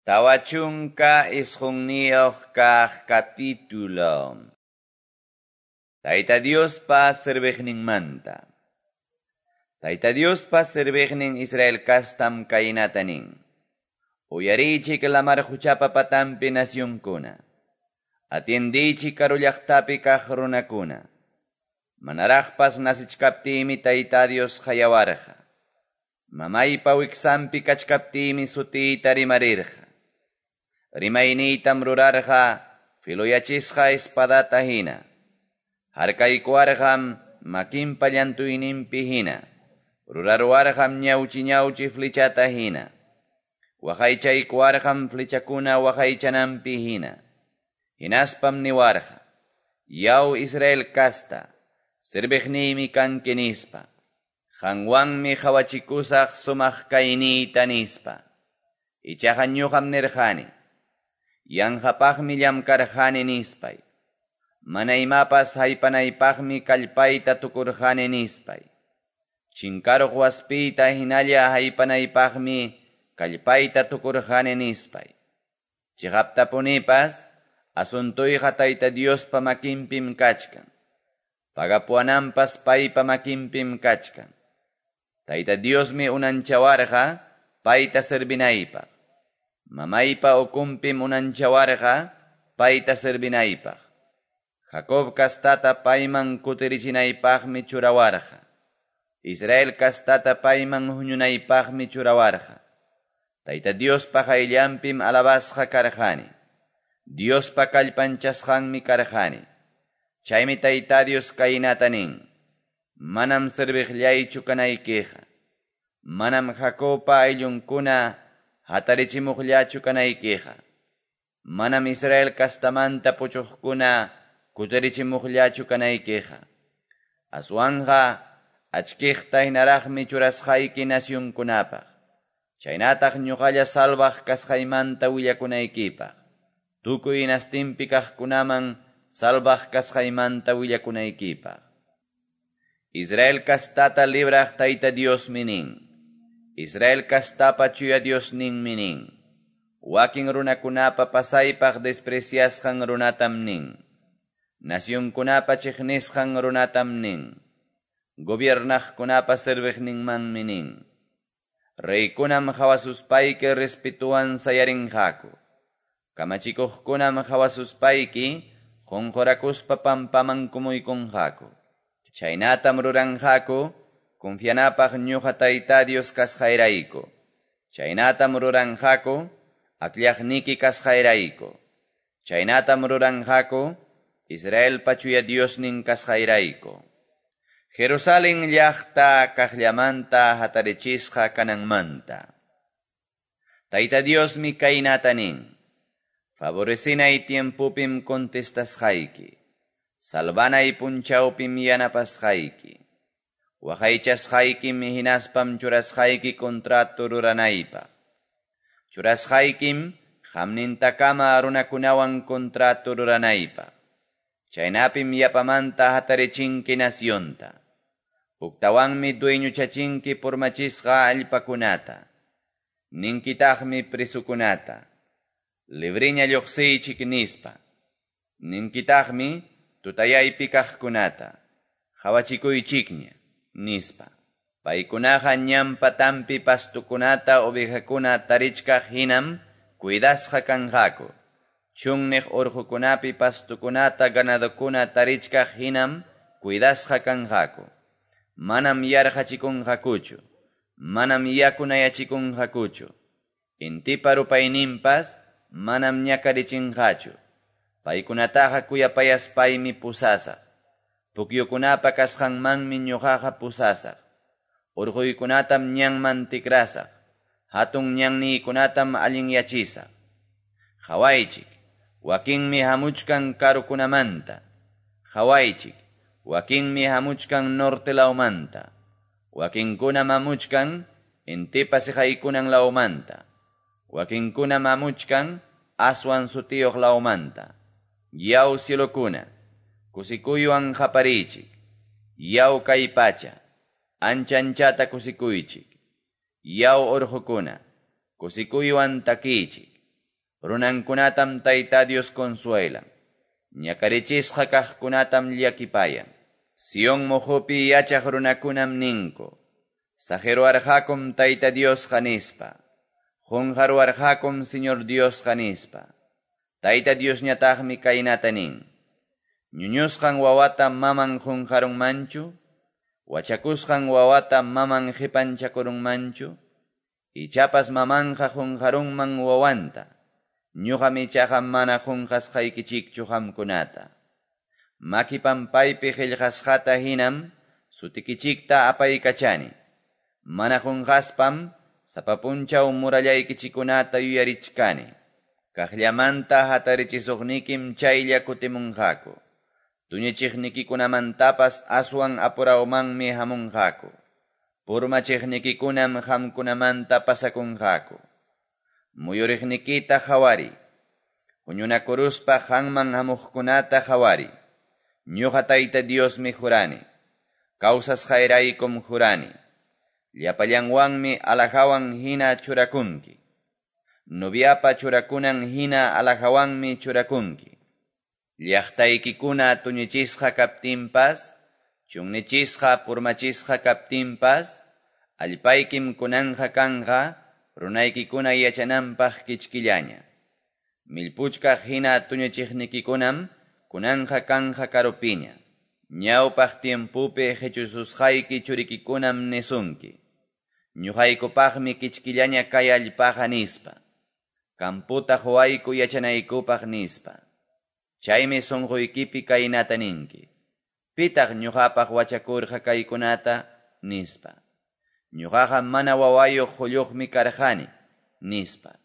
49 kaq capítulo. Tayta Diospa serviqninmanta. Tayta Diospa serviqnin Israel kastam kaynata nin. Uyariychik lamar quchapa patanpi nacionkuna. Atiendiychik karu llaqtapi kaq runakuna. Manaraqpas nasichkaptiymi Tayta Dios qayawarqa. Mamaypa wiksanpi kachkaptiymi sutiyta rimarirqa. Rimayniytam rurarqa filoyachisqa espadata hina. Harkaykuwarqam makinpa llantuyninpi hina. Ruraruwarqam ñawchi ñawchi flechata hina. Waqaychaykuwarqam flechakuna waqaychananpi hina. Hinaspam niwarqa: Yaw Israel kasta, serviqniymi kanki nispa. Qanwanmi qawachikusaq sumaq kayniyta nispa. Ichaqa ñuqam nirqani: Yanqapaqmi llamkarqani nispay. Mana imapas haypanaypaqmi kallpayta tukurqani nispay. Chinkaruq waspiyta hinalla haypanaypaqmi kallpayta tukurqani nispay. Chiqaptapunipas asuntuyqa Tayta Diospa makinpim kachkan. Pagapuwananpas paypa makinpim kachkan. Tayta Diosmi unanchawarqa payta servinaypaq. Mamaypa ukunpim unanchawarqa payta servinaypaq. Jacob kastata payman kutirichinaypaqmi churawarqa. Israel kastata payman huñunaypaqmi churawarqa. Tayta Diospa qayllanpim alabasqa karqani. Diospa kallpanchasqanmi karqani. Chaymi Tayta Dios kaynata nin: Manam serviqllaychu kanaykiqa. Manam Jacobpa ayllunkuna hatarichimuqllachu kanaykiqa. Manam Israel kastamanta puchuqkuna kutirichimuqllachu kanaykiqa. Aswanqa achkiqta hinaraqmi churasqayki nacionkunapaq. Chaynataq ñuqalla salvaq kasqaymanta willakunaykipaq. Tukuy hinastinpi kaqkunaman salvaq kasqaymanta willakunaykipaq. Israel kastata libraq Tayta Diosmi nin. Israel kastapa chuya Diosninmi nin. Wakin runakunapa pasaypaq despreciasqan runatam nin. Nacionkunapa chiqnisqan runatam nin. Gobiernaqkunapa serviqninmanmi nin. Reykunam qawasuspayki respetuwan sayarinqaku. Kamachikuqkunam qawasuspayki qunqurakuspa pampaman kumuykunqaku. Chaynatam ruranqaku confianapaq ñuqa Tayta Dios kasqayrayku. Chaynatam ruranqaku akllaqniki kasqayrayku. Chaynatam ruranqaku Israelpa chuya Diosnin kasqayrayku. Jerusalén llaqta kaqllamanta hatarichisqa kananmanta. Tayta Diosmi kaynata nin: Favorecinay tiempopim contestasqayki. Salvanay punchawpim yanapasqayki. Waqaychasqaykim hinaspam churasqayki contrato ruranaypaq. Churasqaykim qamnintakama runakunawan contrato ruranaypaq. Chaynapim yapamanta hatarichinki nacionta. Huktawanmi dueñochachinki purmachisqa allpakunata. Ninkitaqmi presukunata: Libriña lluqsiychik nispa. Ninkitaqmi tutayaypi kaqkunata: Qawachikuychikña nispa. Paykunaqa ñan patanpi pastukunata ovejakuna tarichkaq hinam cuidasqa kanqaku. Chunniq urqukunapi pastukunata ganadokuna tarichkaq hinam cuidasqa kanqaku. Manam yarqachikunqakuchu. Manam yakunayachikunqakuchu. Intipa rupayninpas manam ñakarichinqachu. Paykunataqa kuyapayaspaymi pusasaq. Pukyukunapa kasqanmanmi ñuqaqa pusasaq. Urquykunatam ñanman tikrasaq. Hatun ñanniykunatam allinyachisaq. Qawaychik, wakinmi hamuchkan karukunamanta. Qawaychik, wakinmi hamuchkan norte lawmanta. Wakinkunam hamuchkan intipa siqaykunan lawmanta. Wakinkunam hamuchkan aswan sutiyuq lawmanta. Yaw cielokuna, kusikuywan qapariychik. Yaw kay pacha, ancha anchata kusikuychik. Yaw urqukuna, kusikuywan takiychik. Runankunatam Tayta Dios consuelan. Ñakarichisqa kaqkunatam llakipayan. Sion moqopi yachaq runakunam ninku. Saqeruwarqakum Tayta Diosqa nispa. Qonqaruwarqakum Señor Diosqa nispa. Tayta Diosñataqmi kaynata nin. Ñuñusqan wawata maman qonqarunmanchu? Wachakusqan wawata maman qipanchakurunmanchu? Ichapas mamanqa qonqarunman wawanta. Ñuqam ichaqa mana qonqasqaykichikchu qamkunata. Maki pampaypi qillqasqata hinam sutikichikta apaykachani. Mana qonqaspam sapa punchaw murallaykichikunata yuyarichkani. Kaqllamanta hatarichisuqnikim chaylla kutimunqaku. Tuñichiqnikikunamantapas aswan apurawmanmi hamunqaku. Purmachiqnikikunam qamkunamanta pasakunqaku. Muyuriqnikita qhawari. Huñunakuruspa qanman hamuqkunata qhawari. Ñuqa Tayta Diosmi jurani. Kawsasqayraykum jurani. Llapallanwanmi alhajawan hina churakunki. Noviapa churakunan hina alhajawanmi churakunki. Llaqtaykikuna tuñichisqa kaptinpas, chunnichisqa purmachisqa kaptinpas, allpaykim kunanqa kanqa, runaykikuna yachananpaq kichkillaña. Millpuchkaq hina tuñichiqnikikunam kunanqa kanqa karupiña. Ñawpaq tiempupi qichususqayki churikikunam nisunki. Ñuqaykupaqmi kichkillaña kay allpaqa nispa. Kamputa quwayku yachanaykupaq nispa. Chaymi sunquykipi kaynata ninki. Pitaq ñuqapaq wachakurqa kaykunata nispa. Ñuqaqa mana wawayuq qulluqmi karqani nispa.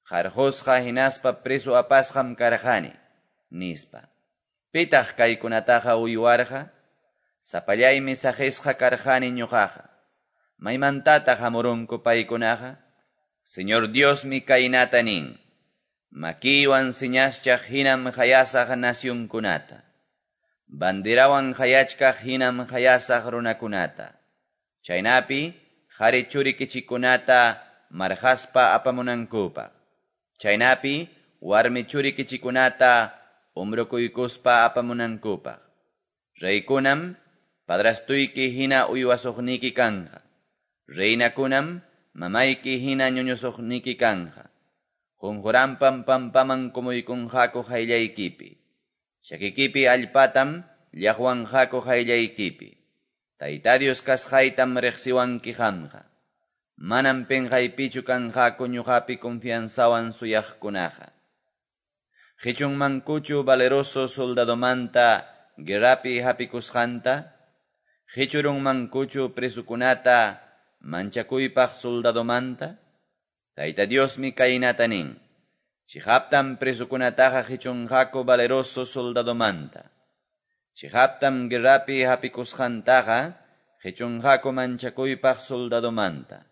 Qarqusqa hinaspa preso apasqam karqani nispa. Pitaq kaykunataqa uywarqa? Sapallaymi saqisqa karqani ñuqaqa. Maymantataq hamurunku paykunaqa? Señor Diosmi kaynata nin. Makiywan señaschaq hinam qayasaq nacionkunata. Banderawan qayachkaq hinam qayasaq runakunata. Chaynapi qhari churikichikunata marqaspa apamunankupaq. Chaynapi warmi churikichikunata umrukuykuspa apamunankupaq. Reykunam padrastuyki hina uywasuqniki kanqa. Reinakunam mamayki hina ñuñusuqniki kanqa. Qunquranpam pampaman kumuykunqaku qayllaykipi. Chakikipi allpatam llaqwanqaku qayllaykipi. Tayta Dios kasqaytam riqsiwanki qamqa. Manam pinqaypichu kanqaku ñuqapi confianzawan suyaqkunaqa. Qichunmankuchu valeroso soldadomanta guerrapi hapikusqanta? Qichurunmankuchu presukunata manchakuypaq soldadomanta? Tayta Diosmi kaynata nin. Chiqaptam presukunataqa qichunqaku valeroso soldadomanta. Chiqaptam guerrapi hapikusqantaqa qichunqaku manchakuypaq soldadomanta.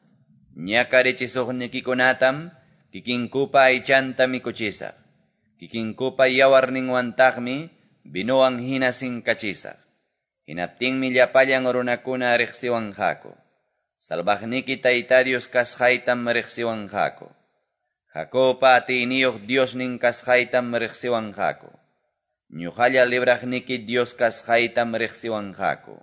Ñakarichisuqnikikunatam kikinkupa aychanta mikuchisaq. Kikinkupa yawarninwantaqmi vinowan hina sinkachisaq. Hinaptinmi llapallan runakuna riqsiwanqaku. Salvaqniki Tayta Dios kasqaytam riqsiwanqaku. Jacobpa atiyniyuq Diosnin kasqaytam riqsiwanqaku. Ñuqalla libraqniki Dios kasqaytam riqsiwanqaku.